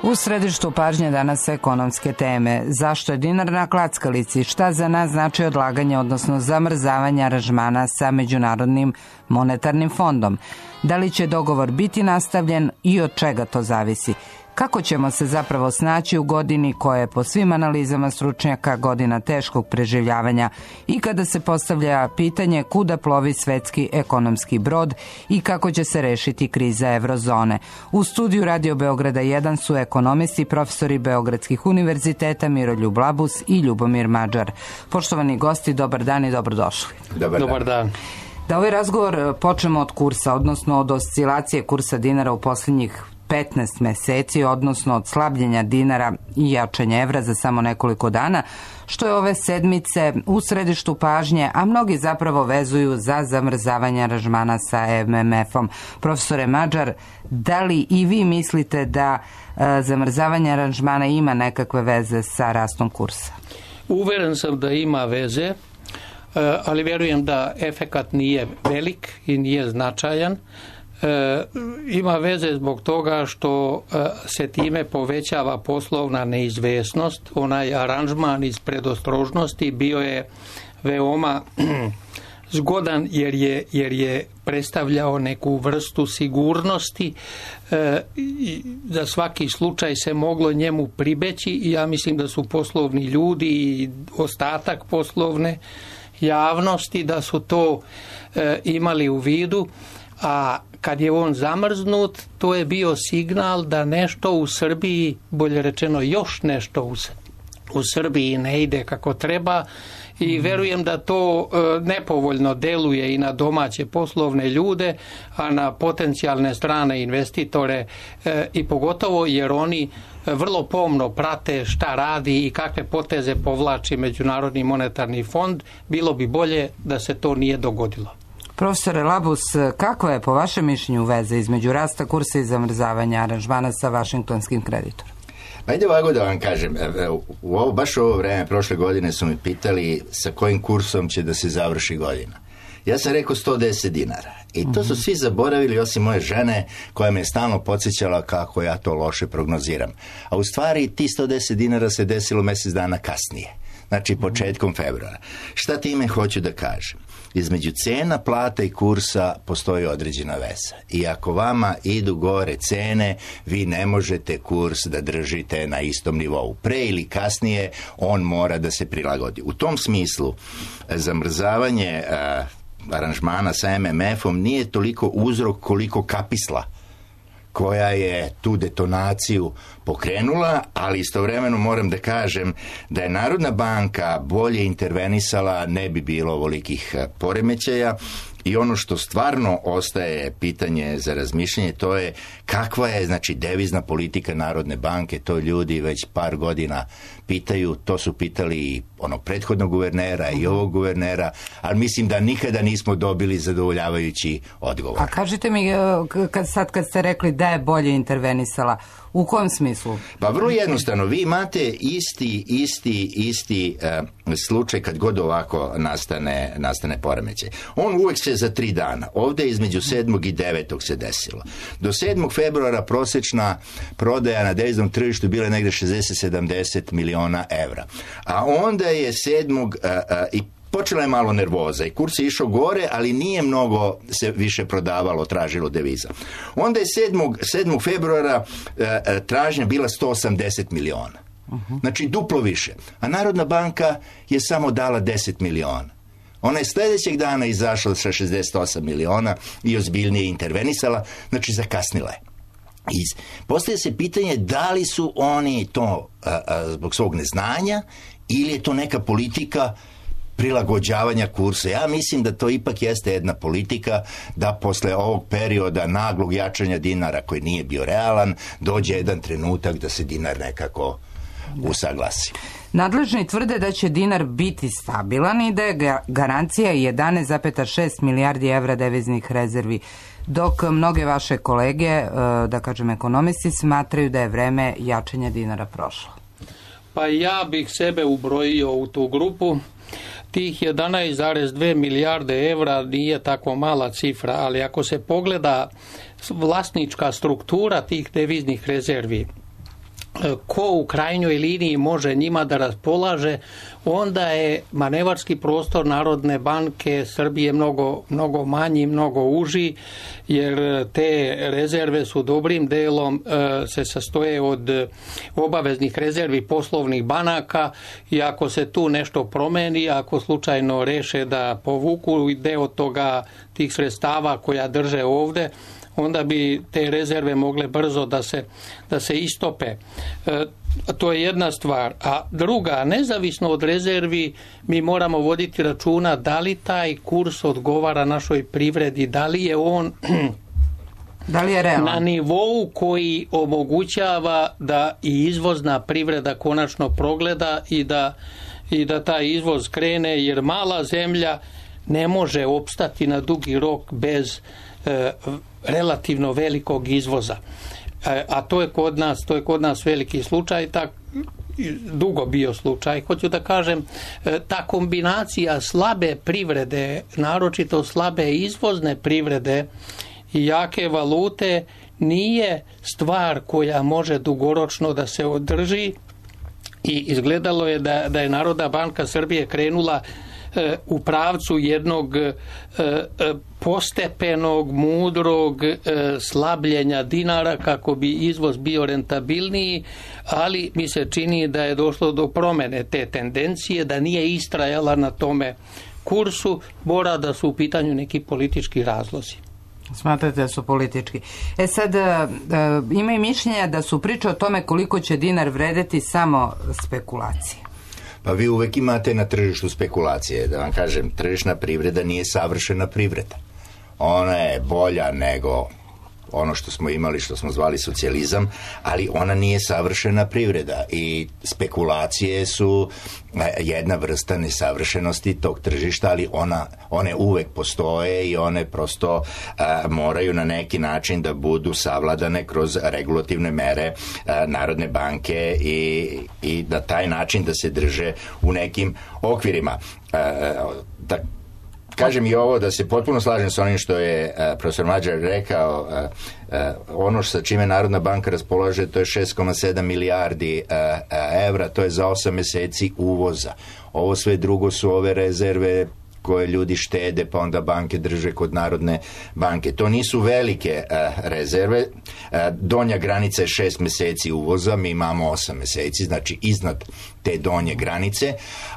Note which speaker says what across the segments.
Speaker 1: U središtu pažnje danas ekonomske teme. Zašto je dinar na klackalici? Šta za nas znači odlaganje, odnosno zamrzavanje aranžmana sa Međunarodnim monetarnim fondom? Da li će dogovor biti nastavljen i od čega to zavisi? Kako ćemo se zapravo snaći u godini koja je po svim analizama stručnjaka godina teškog preživljavanja i kada se postavlja pitanje kuda plovi svetski ekonomski brod i kako će se rešiti kriza eurozone? U studiju Radio Beograda 1 su ekonomisti i profesori Beogradskih univerziteta Miroljub Labus i Ljubomir Mađar. Poštovani gosti, dobar dan i dobrodošli.
Speaker 2: Dobar dan.
Speaker 1: Da ovaj razgovor počnemo od kursa, odnosno od oscilacije kursa dinara u posljednjih 15 meseci, odnosno od slabljenja dinara i jačanja evra za samo nekoliko dana, što je ove sedmice u središtu pažnje, a mnogi zapravo vezuju za zamrzavanje aranžmana sa MMF-om. Profesore Mađar, da li i vi mislite da zamrzavanje aranžmana ima nekakve veze sa rastom kursa?
Speaker 2: Uveren sam da ima veze, ali vjerujem da efekat nije velik i nije značajan. Ima veze zbog toga što se time povećava poslovna neizvesnost. Onaj aranžman iz predostrožnosti bio je veoma zgodan jer je predstavljao neku vrstu sigurnosti. Za svaki slučaj se moglo njemu pribeći i ja mislim da su poslovni ljudi i ostatak poslovne javnosti da su to imali u vidu, a kad je on zamrznut, to je bio signal da nešto u Srbiji, bolje rečeno još nešto u Srbiji ne ide kako treba i verujem da to nepovoljno deluje i na domaće poslovne ljude, a na potencijalne strane investitore i pogotovo jer oni vrlo pomno prate šta radi i kakve poteze povlači Međunarodni monetarni fond. Bilo bi bolje da se to nije dogodilo.
Speaker 1: Profesore Labus, kakva je po vašem mišljenju veza između rasta kursa i zamrzavanja aranžmana sa vašingtonskim kreditorom?
Speaker 3: Ajde ovako da vam kažem, baš u ovo vreme prošle godine su mi pitali sa kojim kursom će da se završi godina. Ja sam rekao 110 dinara i to su svi zaboravili osim moje žene koja me je stalno podsjećala kako ja to loše prognoziram. A u stvari ti 110 dinara se desilo mjesec dana kasnije, znači početkom februara. Šta time hoću da kažem? Između cena, plata i kursa postoji određena veza. I ako vama idu gore cene, vi ne možete kurs da držite na istom nivou. Pre ili kasnije on mora da se prilagodi. U tom smislu zamrzavanje aranžmana sa MMF-om nije toliko uzrok koliko kapisla koja je tu detonaciju pokrenula, ali istovremeno moram da kažem da je Narodna banka bolje intervenisala, ne bi bilo ovolikih poremećaja. I ono što stvarno ostaje pitanje za razmišljanje, to je kakva je, znači, devizna politika Narodne banke. To ljudi već par godina pitaju, to su pitali i onog prethodnog guvernera i ovog guvernera, ali mislim da nikada nismo dobili zadovoljavajući odgovor.
Speaker 1: A kažite mi, kad ste rekli da je bolje intervenisala, u kom smislu?
Speaker 3: Pa vrlo jednostavno, vi imate isti slučaj kad god ovako nastane poremećaj. On uvek se za 3 dana. Ovdje između 7. i 9. se desilo. Do 7. februara prosječna prodaja na deviznom tržištu bila je negde 60-70 miliona evra. A onda je 7. i počela je malo nervoza i kurs je išao gore, ali nije mnogo se više prodavalo, tražilo deviza. Onda je 7. februara tražnja bila 180 miliona. Znači duplo više. A Narodna banka je samo dala 10 miliona. Ona je sljedećeg dana izašla sa 68 miliona i ozbiljnije intervenisala, znači zakasnila je. Postavlja se pitanje da li su oni to zbog svog neznanja ili je to neka politika prilagođavanja kursa. Ja mislim da to ipak jeste jedna politika da posle ovog perioda naglog jačanja dinara koji nije bio realan, dođe jedan trenutak da se dinar nekako usaglasi.
Speaker 1: Nadležni tvrde da će dinar biti stabilan i da je garancija 11,6 milijardi evra deviznih rezervi, dok mnoge vaše kolege, da kažem ekonomisti, smatraju da je vreme jačanja dinara prošlo.
Speaker 2: Pa ja bih sebe ubrojio u tu grupu. Tih 11,2 milijarde evra nije tako mala cifra, ali ako se pogleda vlasnička struktura tih deviznih rezervi, ko u krajnjoj liniji može njima da raspolaže, onda je manevarski prostor Narodne banke Srbije mnogo manji, mnogo uži, jer te rezerve su dobrim delom se sastoje od obaveznih rezervi poslovnih banaka i ako se tu nešto promeni, ako slučajno reše da povuku deo toga tih sredstava koja drže ovde, onda bi te rezerve mogle brzo da se istope. To je jedna stvar. A druga, nezavisno od rezervi, mi moramo voditi računa da li taj kurs odgovara našoj privredi, da li je on na nivou koji omogućava da i izvozna privreda konačno progleda i da taj izvoz krene, jer mala zemlja ne može opstati na dugi rok bez relativno velikog izvoza. A to je kod nas veliki slučaj, dugo bio slučaj. Hoću da kažem, ta kombinacija slabe privrede, naročito slabe izvozne privrede i jake valute, nije stvar koja može dugoročno da se održi i izgledalo je da je Narodna banka Srbije krenula u pravcu jednog postepenog, mudrog slabljenja dinara kako bi izvoz bio rentabilniji, ali mi se čini da je došlo do promene te tendencije, da nije istrajala na tome kursu, mora da su u pitanju neki politički razlozi.
Speaker 1: Smatrate da su politički. Sad, ima i mišljenja da su priče o tome koliko će dinar vredeti samo spekulacije.
Speaker 3: Pa vi uvek imate na tržištu spekulacije. Da vam kažem, tržišna privreda nije savršena privreda. Ona je bolja nego ono što smo imali, što smo zvali socijalizam, ali ona nije savršena privreda i spekulacije su jedna vrsta nesavršenosti tog tržišta, ali one uvek postoje i one prosto moraju na neki način da budu savladane kroz regulativne mere Narodne banke i na taj način da se drže u nekim okvirima. Kažem i ovo da se potpuno slažem sa onim što je profesor Mađar rekao, ono sa čime Narodna banka raspolaže, to je 6,7 milijardi evra, to je za 8 meseci uvoza. Ovo sve drugo su ove rezerve koje ljudi štede, pa onda banke drže kod Narodne banke. To nisu velike rezerve. Donja granica je 6 meseci uvoza, mi imamo 8 meseci, znači iznad te donje granice,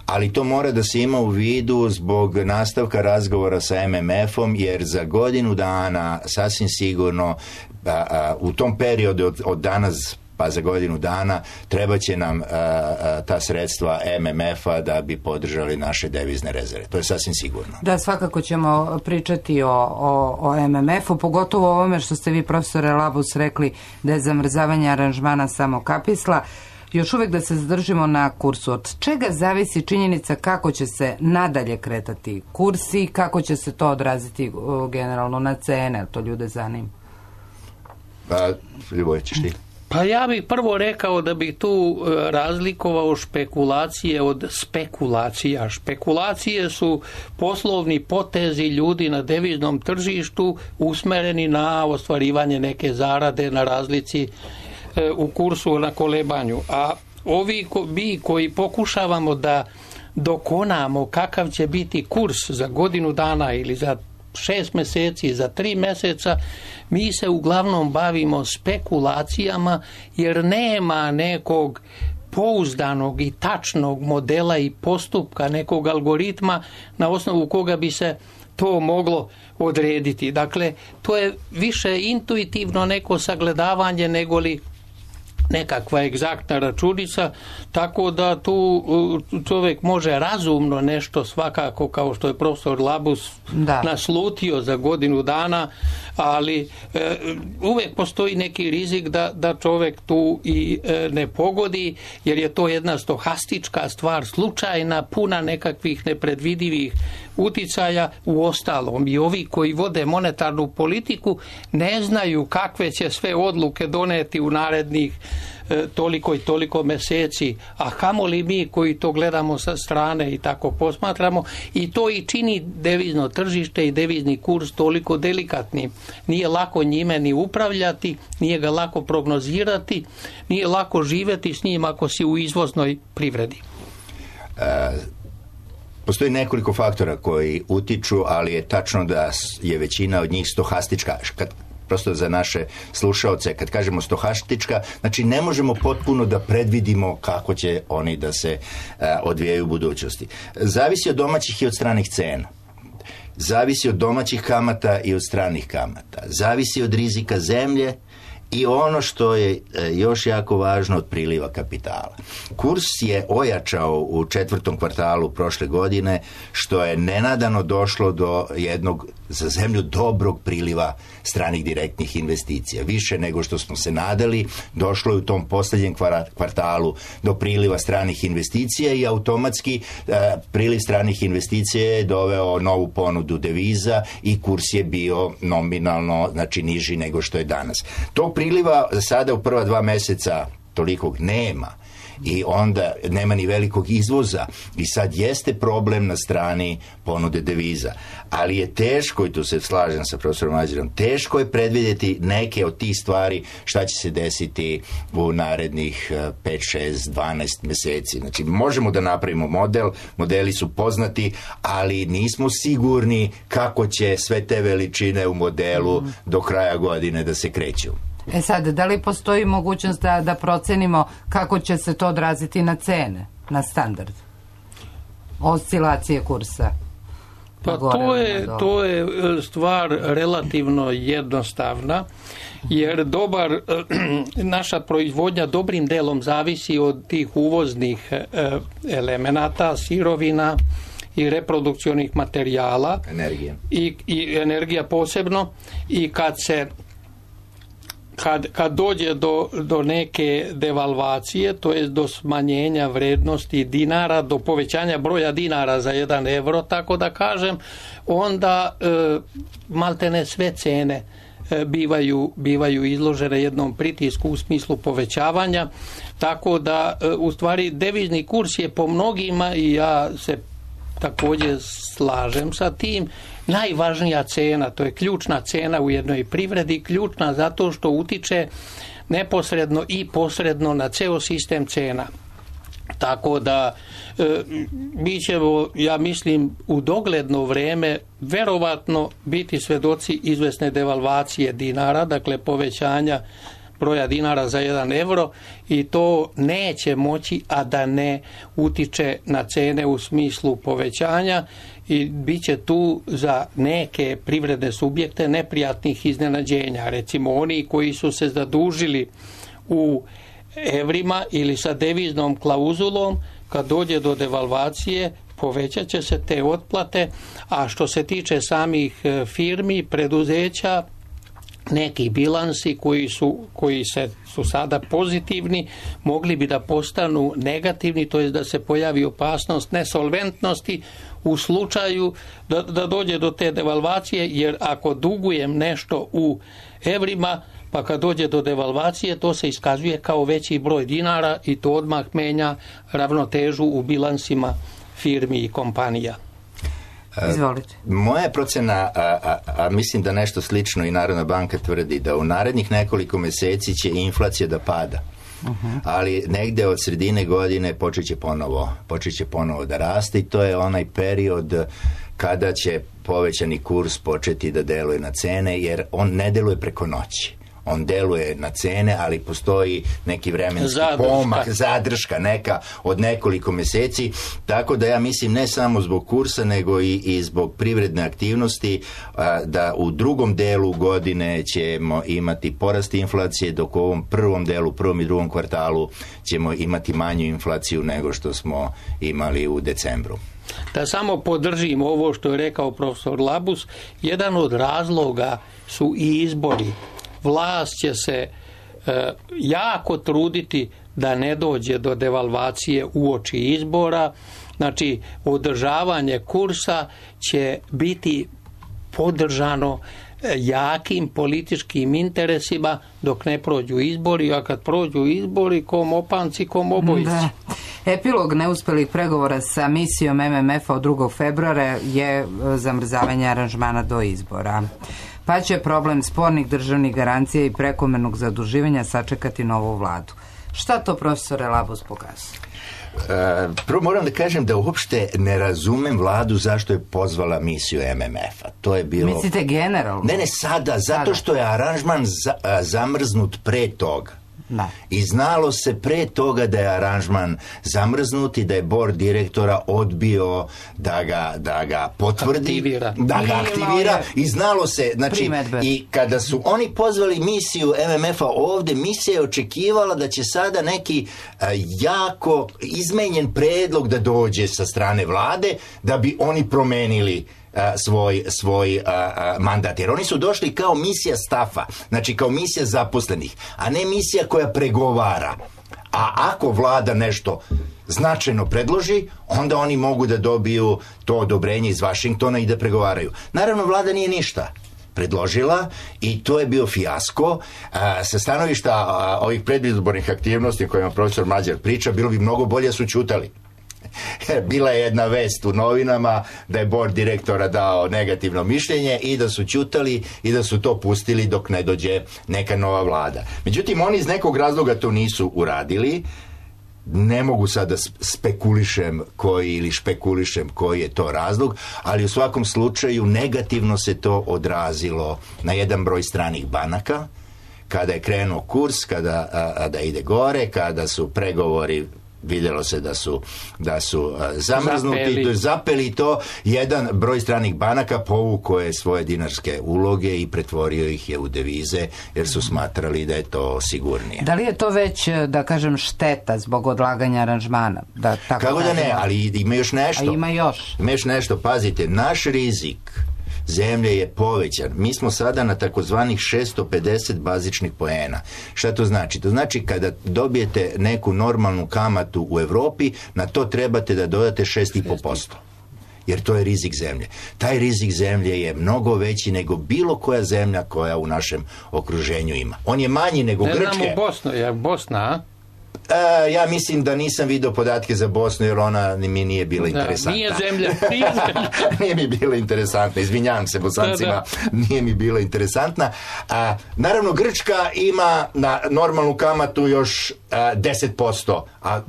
Speaker 3: ali to mora da se ima u vidu zbog nastavka razgovora sa MMF-om, jer za godinu dana sasvim sigurno u tom periodu od danas pa za godinu dana treba će nam ta sredstva MMF-a da bi podržali naše devizne rezerve. To je sasvim sigurno.
Speaker 1: Da, svakako ćemo pričati o MMF-u, pogotovo o ovome što ste vi, profesore Labus, rekli da je zamrzavanje aranžmana samo kapisla. Još uvek da se zadržimo na kursu. Od čega zavisi činjenica kako će se nadalje kretati kurs i kako će se to odraziti generalno na cene? To ljude zanima.
Speaker 3: Ljuboje, ćeš ti?
Speaker 2: Pa ja bih prvo rekao da bih tu razlikovao špekulacije od spekulacija. Špekulacije su poslovni potezi ljudi na deviznom tržištu usmereni na ostvarivanje neke zarade na razlici u kursu, na kolebanju. A ovi mi koji pokušavamo da dokonamo kakav će biti kurs za godinu dana ili za 6 meseci, za 3 meseca, mi se uglavnom bavimo spekulacijama jer nema nekog pouzdanog i tačnog modela i postupka, nekog algoritma na osnovu koga bi se to moglo odrediti. Dakle, to je više intuitivno neko sagledavanje negoli nekakva egzaktna računica, tako da tu čovjek može razumno nešto svakako, kao što je profesor Labus naslutio za godinu dana, ali uvijek postoji neki rizik da čovjek tu i ne pogodi, jer je to jedna stohastička stvar, slučajna, puna nekakvih nepredvidivih uticaja. U ostalom i ovi koji vode monetarnu politiku ne znaju kakve će sve odluke doneti u narednih toliko i toliko meseci, a kamoli mi koji to gledamo sa strane i tako posmatramo, i to i čini devizno tržište i devizni kurs toliko delikatnim. Nije lako njime ni upravljati, nije ga lako prognozirati, nije lako živjeti s njim ako si u izvoznoj privredi.
Speaker 3: Postoji nekoliko faktora koji utiču, ali je tačno da je većina od njih stohastička. Prosto za naše slušaoce, kad kažemo stohastička, znači ne možemo potpuno da predvidimo kako će oni da se odvijaju u budućnosti. Zavisi od domaćih i od stranih cena. Zavisi od domaćih kamata i od stranih kamata. Zavisi od rizika zemlje i ono što je još jako važno, od priliva kapitala. Kurs je ojačao u 4. kvartalu prošle godine, što je nenadano došlo do jednog za zemlju dobrog priliva stranih direktnih investicija. Više nego što smo se nadali, došlo je u tom posljednjem kvartalu do priliva stranih investicija i automatski priliv stranih investicija je doveo novu ponudu deviza i kurs je bio nominalno, znači niži nego što je danas. Tog priliva sada u prva 2 mjeseca tolikog nema. I onda nema ni velikog izvoza i sad jeste problem na strani ponude deviza. Ali je teško, i tu se slažem sa profesorom Mađerom, teško je predvidjeti neke od tih stvari šta će se desiti u narednih 5, 6, 12 mjeseci. Znači možemo da napravimo model, modeli su poznati, ali nismo sigurni kako će sve te veličine u modelu do kraja godine da se kreću.
Speaker 1: Sad, da li postoji mogućnost da procenimo kako će se to odraziti na cene, na standard? Oscilacije kursa?
Speaker 2: Pa to je stvar relativno jednostavna, jer naša proizvodnja dobrim delom zavisi od tih uvoznih elemenata, sirovina i reprodukcionih materijala.
Speaker 3: Energija.
Speaker 2: I energija posebno. I kad dođe do neke devalvacije, to je do smanjenja vrednosti dinara, do povećanja broja dinara za 1 euro, tako da kažem, onda maltene sve cene bivaju izložene jednom pritisku u smislu povećavanja, tako da u stvari devizni kurs je po mnogima, i ja se također slažem sa tim, najvažnija cena, to je ključna cena u jednoj privredi, ključna zato što utiče neposredno i posredno na ceo sistem cena. Tako da mi ćemo, ja mislim, u dogledno vreme verovatno biti svedoci izvesne devalvacije dinara, dakle povećanja broja dinara za 1 euro, i to neće moći a da ne utiče na cene u smislu povećanja, i bit će tu za neke privredne subjekte neprijatnih iznenađenja. Recimo oni koji su se zadužili u evrima ili sa deviznom klauzulom, kad dođe do devalvacije povećat će se te otplate, a što se tiče samih firmi, preduzeća, neki bilansi koji su sada pozitivni mogli bi da postanu negativni, to je da se pojavi opasnost nesolventnosti u slučaju da dođe do te devalvacije, jer ako dugujem nešto u evrima, pa kad dođe do devalvacije, to se iskazuje kao veći broj dinara i to odmah menja ravnotežu u bilansima firmi i kompanija.
Speaker 1: Izvolite.
Speaker 3: Moja procena, a mislim da nešto slično i Narodna banka tvrdi, da u narednih nekoliko mjeseci će inflacija da pada. Ali negde od sredine godine počet će ponovo da raste, i to je onaj period kada će povećani kurs početi da deluje na cene, jer on ne deluje preko noći. On deluje na cene, ali postoji neki vremenski pomak, zadrška neka od nekoliko mjeseci, tako da ja mislim ne samo zbog kursa, nego i zbog privredne aktivnosti, da u drugom delu godine ćemo imati porast inflacije, dok u ovom prvom delu, prvom i drugom kvartalu ćemo imati manju inflaciju nego što smo imali u decembru.
Speaker 2: Da samo podržim ovo što je rekao profesor Labus, jedan od razloga su i izbori. Vlast će se jako truditi da ne dođe do devalvacije uoči izbora. Znači, održavanje kursa će biti podržano jakim političkim interesima dok ne prođu izbori, a kad prođu izbori, kom opanci, kom obojici.
Speaker 1: Da. Epilog neuspelih pregovora sa misijom MMF-a od 2. februara je zamrzavanje aranžmana do izbora. Pa će problem spornih državnih garancija i prekomernog zaduživanja sačekati novu vladu. Šta to, profesore Labus, pokazuje?
Speaker 3: Prvo moram da kažem da uopšte ne razumem vladu zašto je pozvala misiju MMF-a. To je bilo...
Speaker 1: Mislite generalno?
Speaker 3: Ne, sada, zato što je aranžman zamrznut pre toga.
Speaker 1: Da.
Speaker 3: I znalo se pre toga da je aranžman zamrznut i da je bord direktora odbio da ga potvrdi, da ga aktivira i znalo se, znači,
Speaker 1: primedbe.
Speaker 3: I kada su oni pozvali misiju MMF-a ovde, misija je očekivala da će sada neki jako izmenjen predlog da dođe sa strane vlade, da bi oni promenili svoj mandat, jer oni su došli kao misija stafa, znači kao misija zaposlenih, a ne misija koja pregovara. A ako vlada nešto značajno predloži, onda oni mogu da dobiju to odobrenje iz Vašingtona i da pregovaraju. Naravno, vlada nije ništa predložila i to je bio fijasko. Sa stanovišta ovih predizbornih aktivnosti o kojima profesor Mađar priča, bilo bi mnogo bolje da su ćutali. Bila je jedna vest u novinama da je bord direktora dao negativno mišljenje i da su ćutali i da su to pustili dok ne dođe neka nova vlada. Međutim, oni iz nekog razloga to nisu uradili. Ne mogu sad da spekulišem koji je to razlog, ali u svakom slučaju negativno se to odrazilo na jedan broj stranih banaka, kada je krenuo kurs, da ide gore, kada su pregovori, vidjelo se da su zamrznuti, zapeli to, jedan broj stranih banaka povukao je svoje dinarske uloge i pretvorio ih je u devize, jer su smatrali da je to sigurnije.
Speaker 1: Da li je to već, da kažem, šteta zbog odlaganja aranžmana?
Speaker 3: Kako da ne, ali ima još nešto.
Speaker 1: A ima još.
Speaker 3: Ima još nešto, pazite, naš rizik zemlje je povećan. Mi smo sada na takozvanih 650 bazičnih poena. Šta to znači? To znači kada dobijete neku normalnu kamatu u Evropi, na to trebate da dodate 6,5%. Jer to je rizik zemlje. Taj rizik zemlje je mnogo veći nego bilo koja zemlja koja u našem okruženju ima. On je manji nego Grčke.
Speaker 2: Ne znam u Bosnu, je Bosna, a?
Speaker 3: Ja mislim da nisam vidio podatke za Bosnu, jer ona mi nije bila interesantna.
Speaker 2: Nije zemlja.
Speaker 3: Nije mi bila interesantna, izvinjavam se Bosancima, nije mi bila interesantna. Naravno, Grčka ima na normalnu kamatu još 10%, a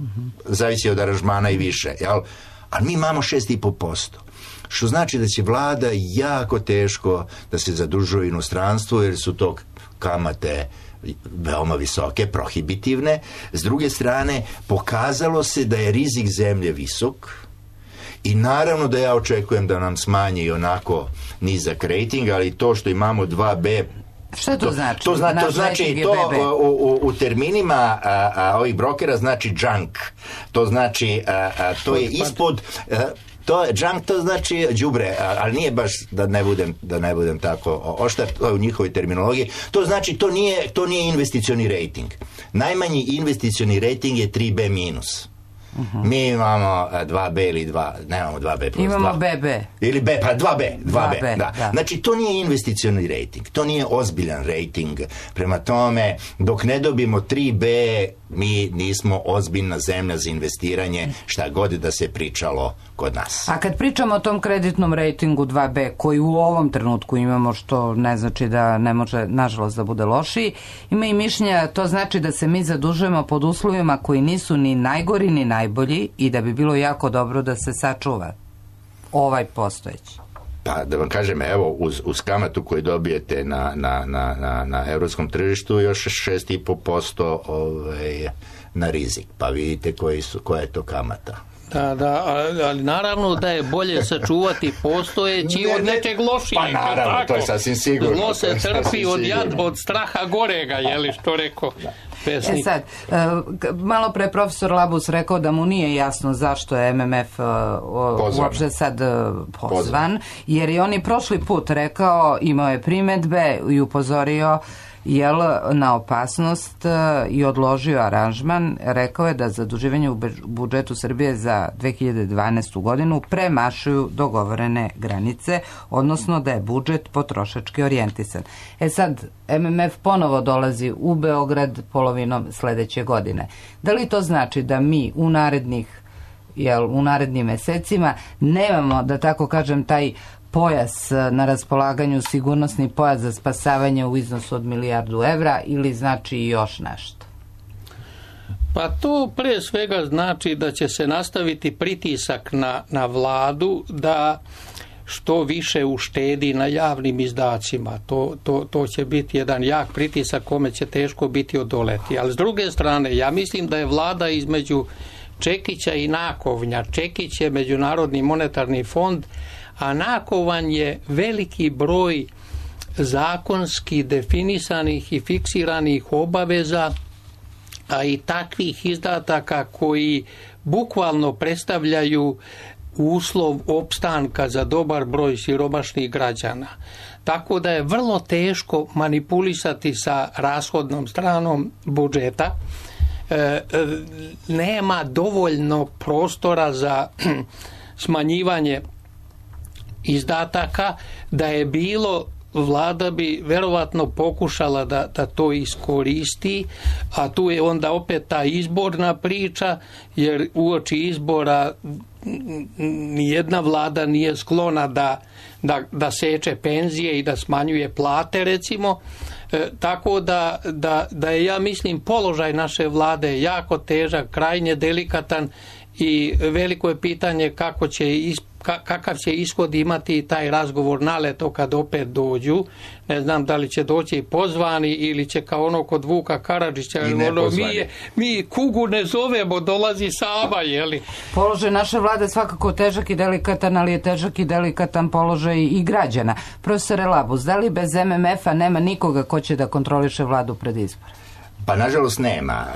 Speaker 3: zavisi od aranžmana i više, jel? Ali mi imamo 6,5%. Što znači da će vlada jako teško da se zadužuje inostranstvo, jer su to kamate veoma visoke, prohibitivne. S druge strane, pokazalo se da je rizik zemlje visok i naravno da ja očekujem da nam smanji onako nizak rating, ali to što imamo 2B.
Speaker 1: Šta to znači?
Speaker 3: To znači u terminima ovih brokera znači junk. To znači to je ispod to junk, to znači đubre, ali nije baš da ne budem tako oštar, to je u njihovoj terminologiji. To znači to nije investicioni rating. Najmanji investicioni rating je 3B minus. Mi imamo 2B ili 2, nemamo 2B plus 2.
Speaker 1: Imamo BB.
Speaker 3: Ili B, pa 2B, da.
Speaker 1: Da.
Speaker 3: Znači, to nije investicioni rating, to nije ozbiljan rating. Prema tome, dok ne dobijemo 3B, mi nismo ozbiljna zemlja za investiranje, šta god da se pričalo kod nas.
Speaker 1: A kad pričamo o tom kreditnom ratingu 2B, koji u ovom trenutku imamo, što ne znači da ne može, nažalost, da bude lošiji, ima i mišljenja, to znači da se mi zadužujemo pod uslovima koji nisu ni najgori ni najbolji i da bi bilo jako dobro da se sačuva ovaj postojeći.
Speaker 3: Pa da vam kažem, evo, uz kamatu koju dobijete na evropskom tržištu, još 6,5% na rizik. Pa vidite koja je to kamata.
Speaker 2: Da, ali naravno da je bolje sačuvati postojeći od nečeg lošijeg.
Speaker 3: Pa naravno, to je sasvim sigurno.
Speaker 2: Zlo se trpi od straha gorega, što rekao pesnik.
Speaker 1: Sad, malo pre profesor Labus rekao da mu nije jasno zašto je MMF uopšte sad pozvan, jer je on i prošli put rekao, imao je primedbe i upozorio jel na opasnost i odložio aranžman. Rekao je da zaduživanje u budžetu Srbije za 2012. godinu premašuju dogovorene granice, odnosno da je budžet potrošački orijentisan. Sad, MMF ponovo dolazi u Beograd polovinom sledeće godine. Da li to znači da mi u narednim mesecima nemamo, da tako kažem, taj pojas na raspolaganju, sigurnosni pojas za spasavanje u iznosu od $1 milijardu ili znači još nešto?
Speaker 2: Pa to pre svega znači da će se nastaviti pritisak na vladu da što više uštedi na javnim izdacima. To će biti jedan jak pritisak kome će teško biti odoleti. Ali s druge strane, ja mislim da je vlada između Čekića i Nakovnja. Čekić je Međunarodni monetarni fond, a Nakovan je veliki broj zakonski definisanih i fiksiranih obaveza, a i takvih izdataka koji bukvalno predstavljaju uslov opstanka za dobar broj siromašnih građana. Tako da je vrlo teško manipulisati sa rashodnom stranom budžeta. Nema dovoljno prostora za smanjivanje izdataka. Da je bilo, vlada bi verovatno pokušala da to iskoristi, a tu je onda opet ta izborna priča, jer uoči izbora nijedna vlada nije sklona da seče penzije i da smanjuje plate, recimo. Tako da je, ja mislim, položaj naše vlade jako težak, krajnje delikatan i veliko je pitanje kakav će ishod imati taj razgovor naleto kad opet dođu. Ne znam da li će doći pozvani ili će kao ono kod Vuka Karadžića, mi kugu ne zovemo, dolazi sama, jeli?
Speaker 1: Položaj naše vlade svakako težak i delikatan, ali je težak i delikatan položaj i građana. Profesore Labus, da li bez MMF-a nema nikoga ko će da kontroliše vladu pred izbor?
Speaker 3: Pa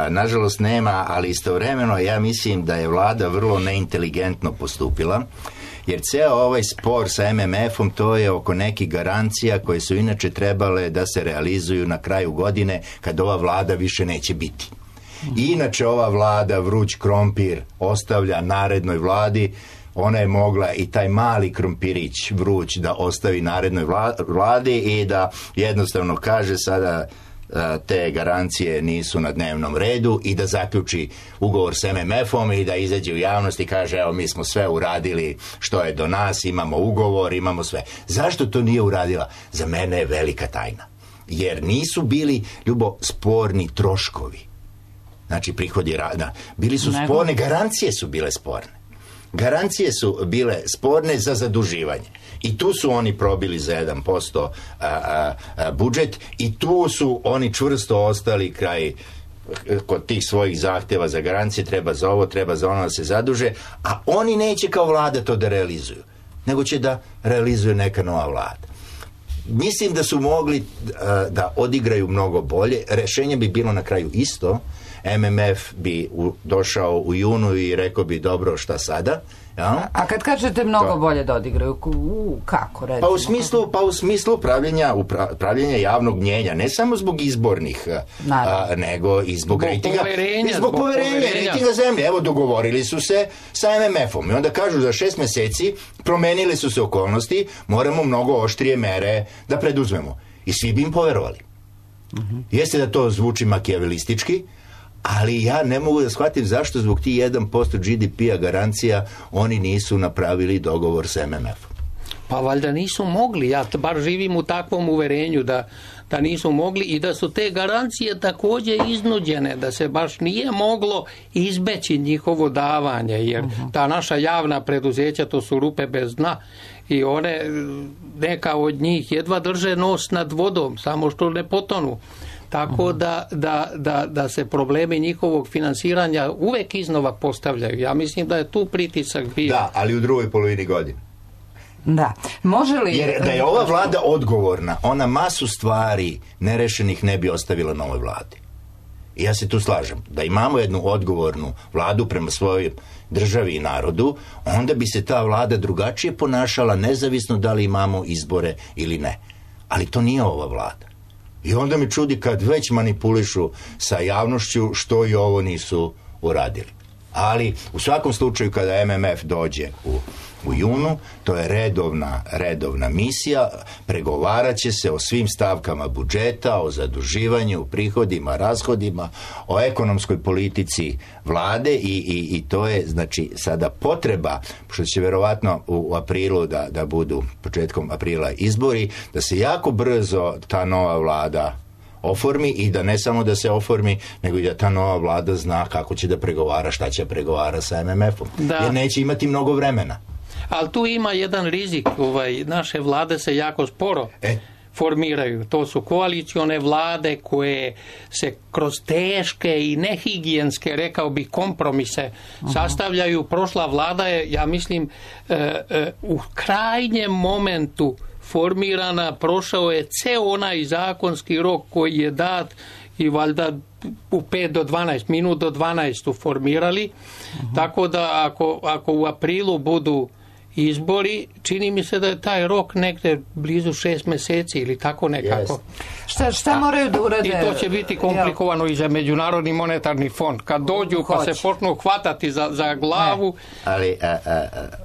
Speaker 3: nažalost nema, ali istovremeno ja mislim da je vlada vrlo neinteligentno postupila, jer ceo ovaj spor sa MMF-om to je oko nekih garancija koje su inače trebale da se realizuju na kraju godine kad ova vlada više neće biti. Inače ova vlada vruć krompir ostavlja narednoj vladi, ona je mogla i taj mali krompirić vruć da ostavi narednoj vladi i da jednostavno kaže sada te garancije nisu na dnevnom redu i da zaključi ugovor s MMF-om i da izađe u javnost i kaže evo mi smo sve uradili što je do nas, imamo ugovor, imamo sve. Zašto to nije uradila? Za mene je velika tajna. Jer nisu bili, Ljubo, sporni troškovi. Znači prihodi rada. Bili su sporne, garancije su bile sporne. Garancije su bile sporne za zaduživanje. I tu su oni probili za 1% budžet i tu su oni čvrsto ostali kraj kod tih svojih zahtjeva za garancije, treba za ovo, treba za ono da se zaduže, a oni neće kao vlada to da realizuju, nego će da realizuje neka nova vlada. Mislim da su mogli da odigraju mnogo bolje, rešenje bi bilo na kraju isto, MMF bi došao u junu i rekao bi dobro šta sada. Ja?
Speaker 1: A kad kažete mnogo bolje da odigraju, kako recimo?
Speaker 3: Pa u smislu pravljenja javnog mnjenja, ne samo zbog izbornih, nego i zbog rejtinga. Zbog poverenja, rejtinga zemlje. Evo, dogovorili su se sa MMF-om i onda kažu za 6 meseci promenile su se okolnosti, moramo mnogo oštrije mere da preduzmemo. I svi bi im poverovali. Jeste da to zvuči makijavelistički, ali ja ne mogu da shvatim zašto zbog ti 1% GDP-a garancija oni nisu napravili dogovor s MMF-om.
Speaker 2: Pa valjda nisu mogli, ja bar živim u takvom uverenju da nisu mogli i da su te garancije također iznuđene, da se baš nije moglo izbeći njihovo davanje, jer ta naša javna preduzeća to su rupe bez dna i one, neka od njih jedva drže nos nad vodom, samo što ne potonu. Tako da se problemi njihovog finansiranja uvek iznova postavljaju. Ja mislim da je tu pritisak bio.
Speaker 3: Da, ali u drugoj polovini godine.
Speaker 1: Da. Može li...
Speaker 3: Jer da je ova vlada odgovorna, ona masu stvari nerešenih ne bi ostavila novoj vladi. I ja se tu slažem. Da imamo jednu odgovornu vladu prema svojoj državi i narodu, onda bi se ta vlada drugačije ponašala, nezavisno da li imamo izbore ili ne. Ali to nije ova vlada. I onda mi čudi kad već manipulišu sa javnošću što i ovo nisu uradili. Ali u svakom slučaju kada MMF dođe u junu, to je redovna misija, pregovarat će se o svim stavkama budžeta, o zaduživanju, prihodima, rashodima, o ekonomskoj politici vlade i to je znači sada potreba, što će verovatno u aprilu da budu početkom aprila izbori, da se jako brzo ta nova vlada oformi i da ne samo da se oformi, nego i da ta nova vlada zna kako će da pregovara, šta će pregovara sa MMF-om. Jer neće imati mnogo vremena.
Speaker 2: Ali tu ima jedan rizik, naše vlade se jako sporo formiraju. To su koalicione vlade koje se kroz teške i nehigijenske, rekao bih, kompromise sastavljaju. Prošla vlada je, ja mislim, u krajnjem momentu formirana, prošao je ceo onaj zakonski rok koji je dat i valjda u 5 do 12, minut do 12 su formirali. Tako da ako u aprilu budu izbori, čini mi se da je taj rok negde blizu 6 meseci ili tako nekako.
Speaker 1: Šta moraju da urade?
Speaker 2: I to će biti komplikovano i za Međunarodni monetarni fond. Kad dođu pa se počnu hvatati za glavu.
Speaker 3: Ali,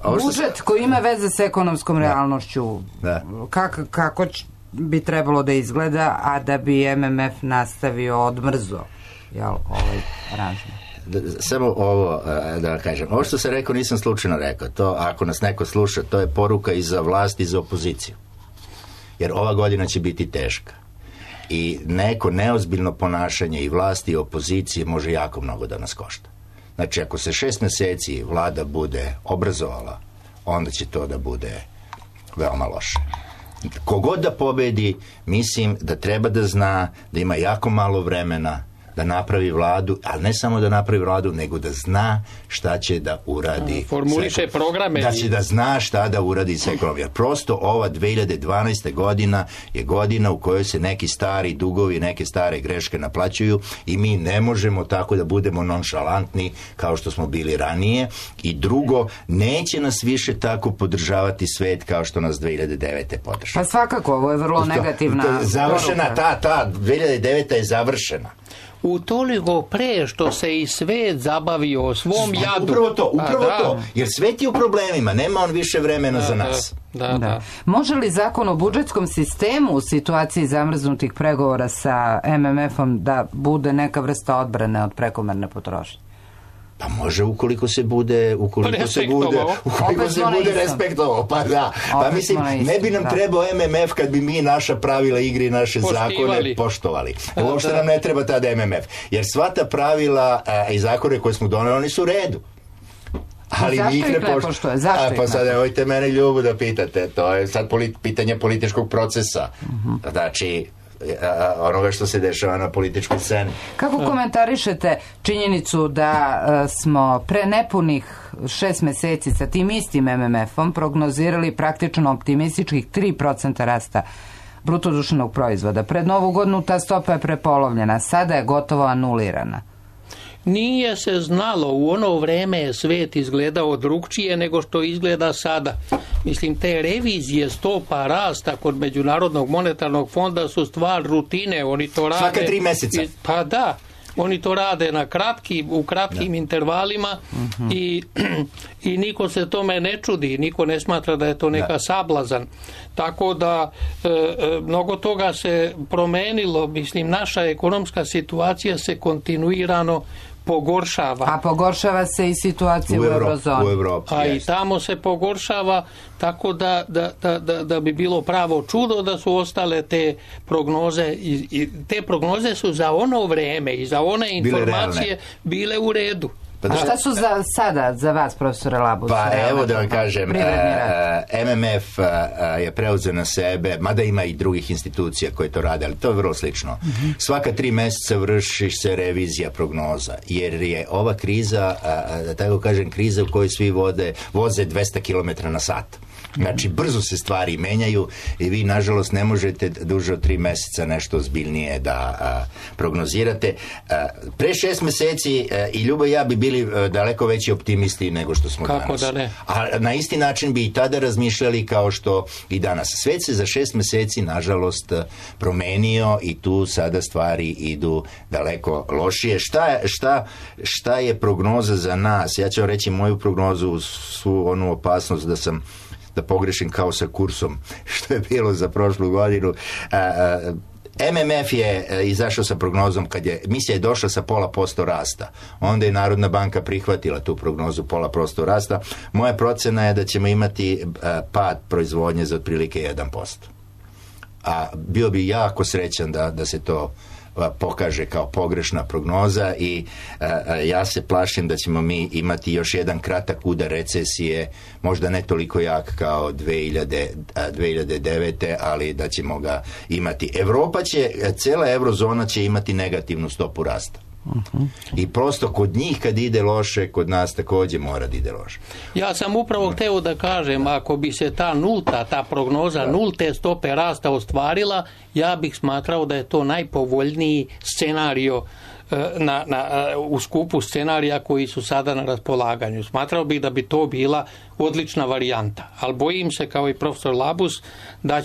Speaker 1: budžet koji ima veze s ekonomskom realnošću, kako bi trebalo da izgleda, a da bi MMF nastavio odmrzo aranžman?
Speaker 3: Samo ovo da kažem, ovo što sam rekao nisam slučajno rekao, to ako nas neko sluša, to je poruka i za vlast i za opoziciju, jer ova godina će biti teška i neko neozbiljno ponašanje i vlasti i opozicije može jako mnogo da nas košta. Znači ako se 6 meseci vlada bude obrazovala, onda će to da bude veoma loše. Kogod da pobedi, mislim da treba da zna da ima jako malo vremena da napravi vladu, ali ne samo da napravi vladu, nego da zna šta će da uradi.
Speaker 2: Formuliše programe.
Speaker 3: Da će da zna šta da uradi s ekonomijom. Prosto ova 2012. godina je godina u kojoj se neki stari dugovi, neke stare greške naplaćuju i mi ne možemo tako da budemo nonšalantni kao što smo bili ranije. I drugo, neće nas više tako podržavati svet kao što nas 2009. podržava.
Speaker 1: Pa svakako, ovo je vrlo negativna
Speaker 3: završena, ta 2009. je završena.
Speaker 2: Utoliko pre što se i svet zabavio o svom jadu.
Speaker 3: Upravo to. Jer svet je u problemima, nema on više vremena za nas.
Speaker 2: Da.
Speaker 1: Može li zakon o budžetskom sistemu u situaciji zamrznutih pregovora sa MMF-om da bude neka vrsta odbrane od prekomerne potrošnje?
Speaker 3: Pa može ukoliko se bude respektovao. Pa da. Pa mislim, ne bi nam trebao MMF kad bi mi naša pravila igre i naše zakone poštovali. Uopšte nam ne treba tad MMF. Jer sva ta pravila i zakone koje smo doneli, oni su u redu. Ali mi ih ne poštuje. Pa sad nemojte mene ljubu da pitate. To je sad pitanje političkog procesa. Znači, onoga što se dešava na političkoj sceni.
Speaker 1: Kako komentarišete činjenicu da smo pre nepunih 6 meseci sa tim istim MMF-om prognozirali praktično optimističkih 3% rasta bruto društvenog proizvoda? Pred Novu godinu ta stopa je prepolovljena, sada je gotovo anulirana.
Speaker 2: Nije se znalo, u ono vreme je svet izgledao drugčije nego što izgleda sada. Mislim, te revizije stopa rasta kod Međunarodnog monetarnog fonda su stvar rutine. Oni to rade
Speaker 3: svaka 3 meseca.
Speaker 2: Pa da, oni to rade u kratkim intervalima i niko se tome ne čudi, niko ne smatra da je to neka sablazan. Tako da mnogo toga se promenilo. Mislim, naša ekonomska situacija se kontinuirano pogoršava.
Speaker 1: A pogoršava se i situacija u Eurozoni.
Speaker 2: A i tamo se pogoršava, tako da bi bilo pravo čudo da su ostale te prognoze. I te prognoze su za ono vreme i za one informacije bile u redu.
Speaker 1: A šta su sada za vas, profesore Labus?
Speaker 3: Pa evo da vam kažem, MMF je preuzeo na sebe, mada ima i drugih institucija koje to rade, ali to je vrlo slično. Svaka 3 meseca vrši se revizija prognoza, jer je ova kriza, da tako kažem, kriza u kojoj svi voze 200 km na sat. Znači, brzo se stvari menjaju i vi, nažalost, ne možete duže od 3 meseca nešto ozbiljnije da prognozirate. Pre 6 meseci i Ljubo i ja bi bili daleko veći optimisti nego što smo
Speaker 2: Kako
Speaker 3: danas.
Speaker 2: Da ne?
Speaker 3: A na isti način bi i tada razmišljali kao što i danas. Svet se za 6 meseci, nažalost, promenio i tu sada stvari idu daleko lošije. Šta je prognoza za nas? Ja ću vam reći moju prognozu uz svu onu opasnost da pogrešim kao sa kursom što je bilo za prošlu godinu. MMF je izašao sa prognozom kad je misija je došla sa 0,5% rasta. Onda je Narodna banka prihvatila tu prognozu 0,5% rasta. Moja procena je da ćemo imati pad proizvodnje za otprilike 1%. A bio bi jako srećan da se to pokaže kao pogrešna prognoza i ja se plašim da ćemo mi imati još jedan kratak udar recesije, možda ne toliko jak kao 2009. ali da ćemo ga imati. Cela eurozona će imati negativnu stopu rasta. I prosto kod njih kad ide loše, kod nas također mora da ide loše.
Speaker 2: Ja sam upravo hteo da kažem, ako bi se ta prognoza nulte stope rasta ostvarila, ja bih smatrao da je to najpovoljniji scenario u skupu scenarija koji su sada na raspolaganju. Smatrao bih da bi to bila odlična varijanta, ali bojim se, kao i profesor Labus, da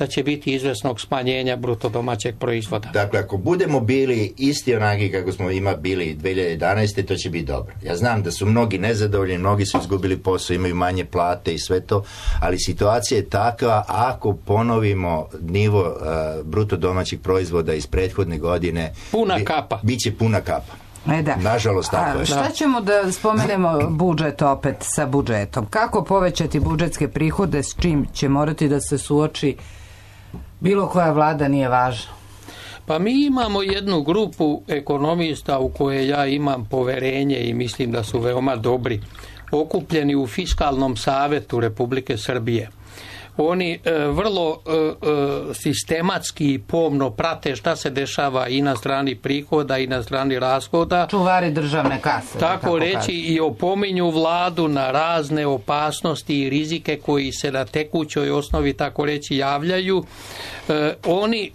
Speaker 2: će biti izvesnog smanjenja bruto domaćeg proizvoda.
Speaker 3: Dakle, ako budemo bili isti onaki kako smo bili 2011. to će biti dobro. Ja znam da su mnogi nezadovoljni, mnogi su izgubili posao, imaju manje plate i sve to, ali situacija je takva, ako ponovimo nivo bruto domaćeg proizvoda iz prethodne godine, bit će puna kapa. Nažalost, tako je.
Speaker 1: Šta ćemo da spomenemo budžet opet sa budžetom? Kako povećati budžetske prihode, s čim će morati da se suoči bilo koja vlada, nije važno?
Speaker 2: Pa mi imamo jednu grupu ekonomista u koje ja imam poverenje i mislim da su veoma dobri, okupljeni u Fiskalnom savetu Republike Srbije. Oni vrlo sistematski i pomno prate šta se dešava i na strani prihoda i na strani rashoda.
Speaker 1: Čuvari državne kase.
Speaker 2: Tako reći, i opominju vladu na razne opasnosti i rizike koji se na tekućoj osnovi, tako reći, javljaju.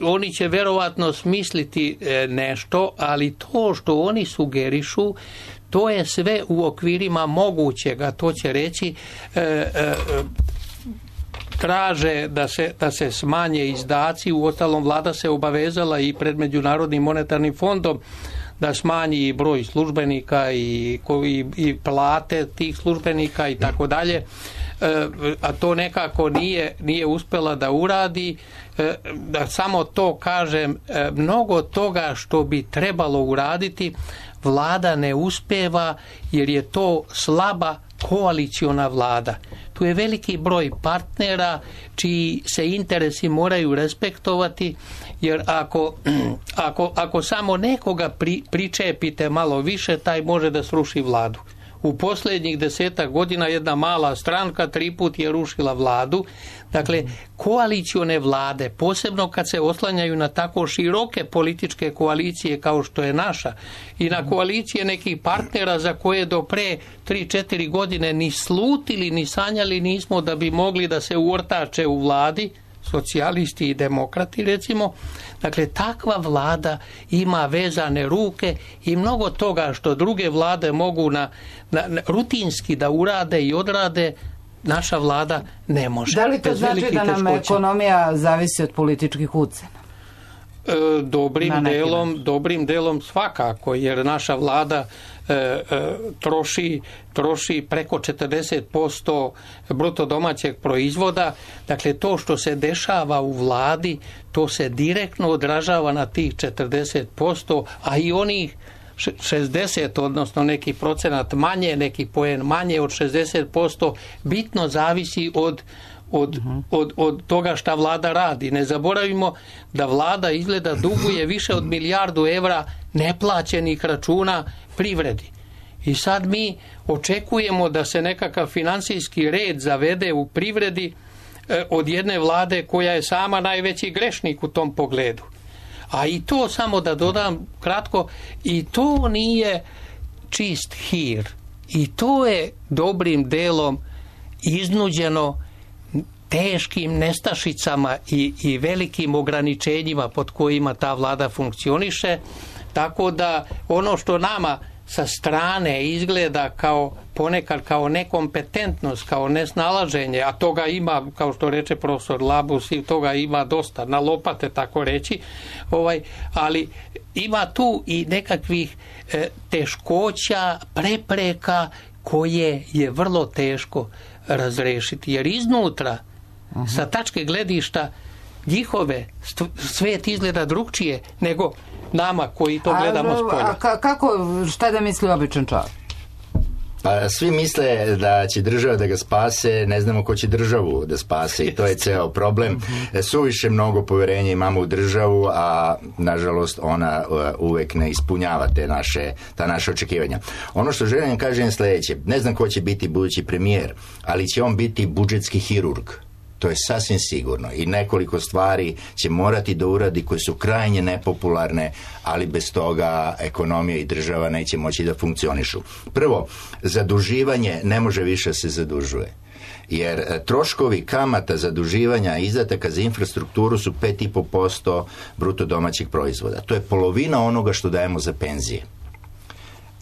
Speaker 2: Oni će verovatno smisliti nešto, ali to što oni sugerišu, to je sve u okvirima mogućega. To će reći traže da se smanje izdaci. Uostalom, vlada se obavezala i pred Međunarodnim monetarnim fondom da smanji i broj službenika i plate tih službenika i tako dalje, a to nekako nije uspela da uradi. Da samo to kažem, mnogo toga što bi trebalo uraditi vlada ne uspeva jer je to slaba koaliciona vlada. Tu je veliki broj partnera čiji se interesi moraju respektovati, jer ako samo nekoga pričepite malo više, taj može da sruši vladu. U posljednjih 10 godina jedna mala stranka 3 put je rušila vladu. Dakle, koalicione vlade, posebno kad se oslanjaju na tako široke političke koalicije kao što je naša i na koalicije nekih partnera za koje do pre 3-4 godine ni slutili ni sanjali nismo da bi mogli da se uortače u vladi, socijalisti i demokrati recimo. Dakle, takva vlada ima vezane ruke i mnogo toga što druge vlade mogu rutinski da urade i odrade, naša vlada ne može.
Speaker 1: Da li to znači da nam ekonomija zavisi od političkih ucena?
Speaker 2: Dobrim delom svakako, jer naša vlada troši preko 40% bruto domaćeg proizvoda. Dakle, to što se dešava u vladi, to se direktno odražava na tih 40%, a i onih 60, odnosno neki procenat manje, neki poen manje od 60%, bitno zavisi od toga šta vlada radi. Ne zaboravimo da vlada izgleda duguje više od 1 milijardu evra neplaćenih računa privredi. I sad mi očekujemo da se nekakav finansijski red zavede u privredi od jedne vlade koja je sama najveći grešnik u tom pogledu. A i to, samo da dodam kratko, i to nije čist hir. I to je dobrim delom iznuđeno teškim nestašicama i velikim ograničenjima pod kojima ta vlada funkcioniše, tako da ono što nama sa strane izgleda ponekad kao nekompetentnost, kao nesnalaženje, a toga ima, kao što reče profesor Labus, i toga ima dosta, na lopate tako reći, ali ima tu i nekakvih teškoća, prepreka koje je vrlo teško razrešiti, jer iznutra sa tačke gledišta njihove svet izgleda drugčije nego nama koji to gledamo s polja.
Speaker 1: Šta da misli običan čovjek?
Speaker 3: Pa svi misle da će država da ga spase, ne znamo ko će državu da spase i to je ceo problem. Suviše mnogo poverenja imamo u državu, a nažalost ona uvek ne ispunjava ta naša očekivanja. Ono što želim kažem je sledeće, ne znam ko će biti budući premijer, ali će on biti budžetski hirurg. To je sasvim sigurno i nekoliko stvari će morati da uradi koje su krajnje nepopularne, ali bez toga ekonomija i država neće moći da funkcionišu. Prvo, zaduživanje ne može više se zadužuje. Jer troškovi kamata zaduživanja i izdataka za infrastrukturu su 5,5% bruto domaćeg proizvoda. To je polovina onoga što dajemo za penzije.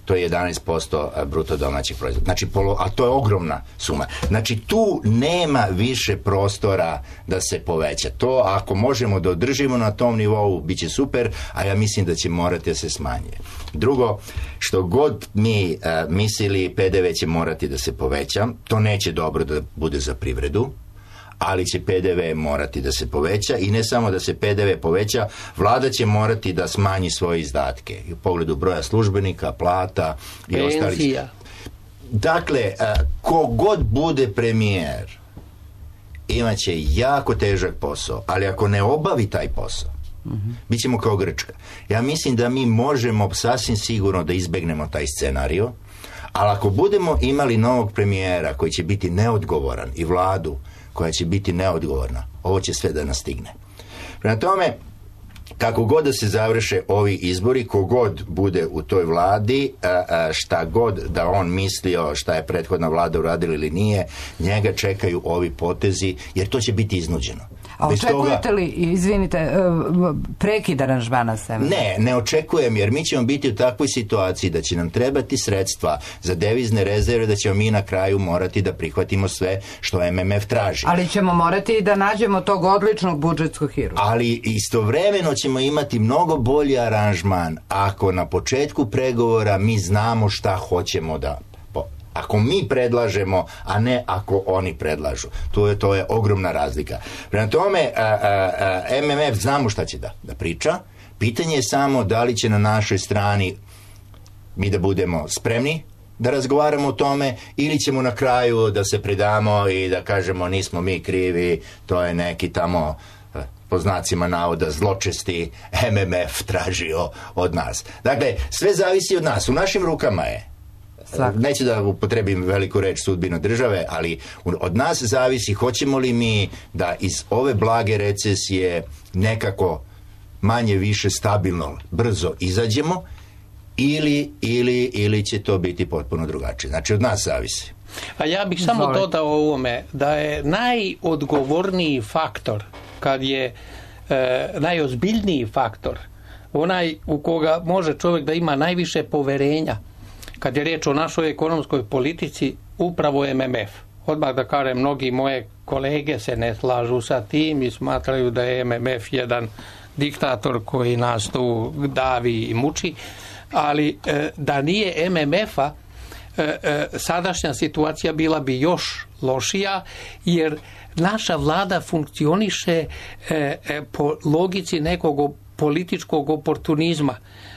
Speaker 3: To je 11% bruto domaćeg proizvoda. Znači, a to je ogromna suma. Znači, tu nema više prostora da se poveća. To, ako možemo da održimo na tom nivou, bit će super, a ja mislim da će morati da se smanjuje. Drugo, što god mi mislili, PDV će morati da se poveća. To neće dobro da bude za privredu, ali će PDV morati da se poveća i ne samo da se PDV poveća, vlada će morati da smanji svoje izdatke u pogledu broja službenika, plata i ostalih. Dakle, kogod bude premijer imaće jako težak posao, ali ako ne obavi taj posao, bit ćemo kao Grčka. Ja mislim da mi možemo sasvim sigurno da izbegnemo taj scenario, ali ako budemo imali novog premijera koji će biti neodgovoran i vladu koja će biti neodgovorna, ovo će sve da nas stigne. Prema tome, kako god da se završe ovi izbori, kogod bude u toj vladi, šta god da on mislio šta je prethodna vlada uradila ili nije, njega čekaju ovi potezi, jer to će biti iznuđeno.
Speaker 1: A očekujete li, izvinite, prekid aranžmana s MMF?
Speaker 3: Ne očekujem, jer mi ćemo biti u takvoj situaciji da će nam trebati sredstva za devizne rezerve, da ćemo mi na kraju morati da prihvatimo sve što MMF traži.
Speaker 1: Ali ćemo morati da nađemo tog odličnog budžetskog hirurga.
Speaker 3: Ali istovremeno ćemo imati mnogo bolji aranžman ako na početku pregovora mi znamo šta hoćemo da... Ako mi predlažemo, a ne ako oni predlažu. To je ogromna razlika. Prema tome, MMF znamo šta će da priča. Pitanje je samo da li će na našoj strani mi da budemo spremni da razgovaramo o tome, ili ćemo na kraju da se predamo i da kažemo nismo mi krivi, to je neki tamo po znacima navoda zločesti MMF tražio od nas. Dakle, sve zavisi od nas. U našim rukama je. Neću da upotrebim veliku reč sudbina države, ali od nas zavisi hoćemo li mi da iz ove blage recesije nekako manje više stabilno, brzo izađemo ili će to biti potpuno drugačije. Znači od nas zavisi.
Speaker 2: A ja bih samo dodao ovome da je najodgovorniji faktor, kad je najozbiljniji faktor, onaj u koga može čovjek da ima najviše poverenja, kad je riječ o našoj ekonomskoj politici, upravo je MMF. Odmah da kažem, mnogi moje kolege se ne slažu sa tim i smatraju da je MMF jedan diktator koji nas tu davi i muči, ali da nije MMF-a, sadašnja situacija bila bi još lošija, jer naša vlada funkcioniše po logici nekog političkog oportunizma,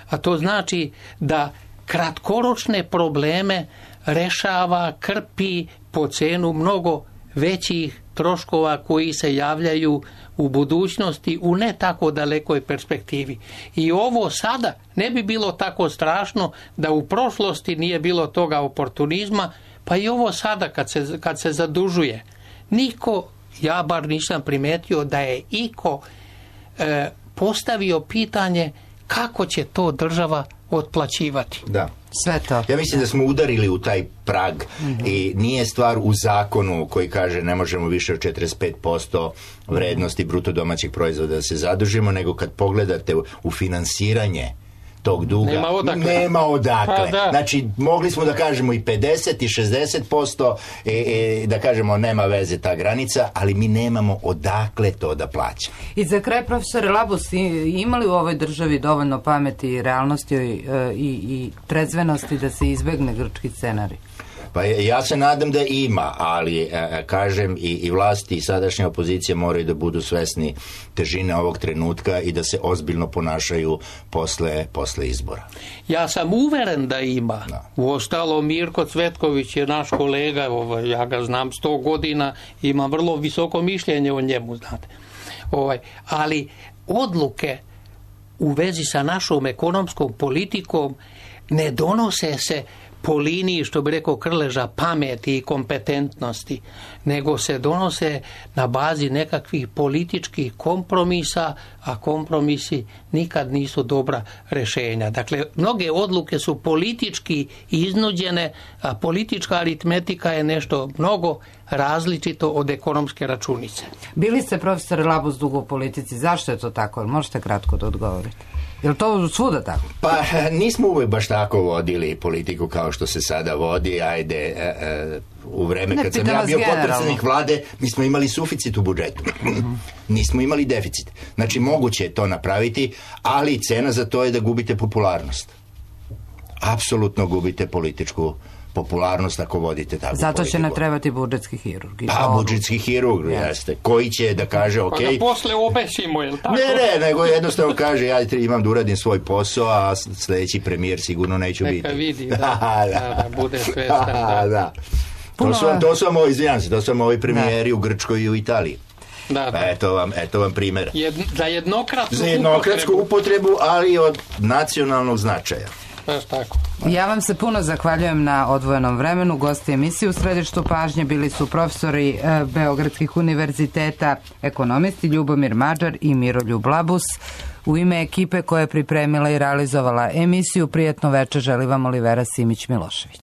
Speaker 2: a to znači da kratkoročne probleme rešava, krpi po cenu mnogo većih troškova koji se javljaju u budućnosti u ne tako dalekoj perspektivi. I ovo sada ne bi bilo tako strašno da u prošlosti nije bilo toga oportunizma, pa i ovo sada kad se zadužuje. Niko, ja bar nisam primetio da je iko postavio pitanje kako će to država otplaćivati.
Speaker 3: Da.
Speaker 1: Sve to.
Speaker 3: Ja mislim da smo udarili u taj prag i nije stvar u zakonu koji kaže ne možemo više od 45% vrednosti bruto domaćeg proizvoda da se zadužimo, nego kad pogledate u finansiranje tog duga, nema odakle. Znači, mogli smo da kažemo i 50 i 60%, da kažemo nema veze ta granica, ali mi nemamo odakle to da plaćamo.
Speaker 1: I za kraj, profesore Labus, imali u ovoj državi dovoljno pameti i realnosti i trezvenosti da se izbegne grčki scenarij?
Speaker 3: Pa ja se nadam da ima, ali kažem i vlasti i sadašnja opozicija moraju da budu svesni težine ovog trenutka i da se ozbiljno ponašaju posle izbora.
Speaker 2: Ja sam uveren da ima. Uostalom, Mirko Cvetković je naš kolega, ja ga znam 100 godina, imam vrlo visoko mišljenje o njemu, znate. Ali odluke u vezi sa našom ekonomskom politikom ne donose se po liniji, što bi rekao Krleža, pameti i kompetentnosti, nego se donose na bazi nekakvih političkih kompromisa, a kompromisi nikad nisu dobra rešenja. Dakle, mnoge odluke su politički iznuđene, a politička aritmetika je nešto mnogo različito od ekonomske računice.
Speaker 1: Bili ste, profesor Labus, dugo u politici. Zašto je to tako? Možete kratko da odgovorite. Je li to svuda tako?
Speaker 3: Pa nismo uvijek baš tako vodili politiku kao što se sada vodi. U vreme kad sam ja bio potpredsjednik vlade, mi smo imali suficit u budžetu. Nismo imali deficit. Znači, moguće je to napraviti, ali cena za to je da gubite popularnost. Apsolutno gubite političku popularnost ako vodite takvu politiku.
Speaker 1: Zato će nam trebati budžetski hirurg.
Speaker 3: Pa, budžetski hirurg, jeste. Koji će da kaže, ok...
Speaker 2: Pa da posle obesimo, je li tako?
Speaker 3: Ne, nego jednostavno kaže, ja imam da uradim svoj posao, a sljedeći premijer sigurno neću biti.
Speaker 2: Neka vidi, da bude svestan.
Speaker 3: Da. To su vam ovi premijeri u Grčkoj i u Italiji. Eto vam primjer.
Speaker 2: Za jednokratnu
Speaker 3: upotrebu, ali od nacionalnog značaja.
Speaker 2: Tako.
Speaker 1: Ja vam se puno zahvaljujem na odvojenom vremenu. Gosti emisije u središtu pažnje bili su profesori Beogradskih univerziteta, ekonomisti Ljubomir Mađar i Miroljub Labus. U ime ekipe koja je pripremila i realizovala emisiju, prijatno večer želi vam Olivera Simić-Milošević.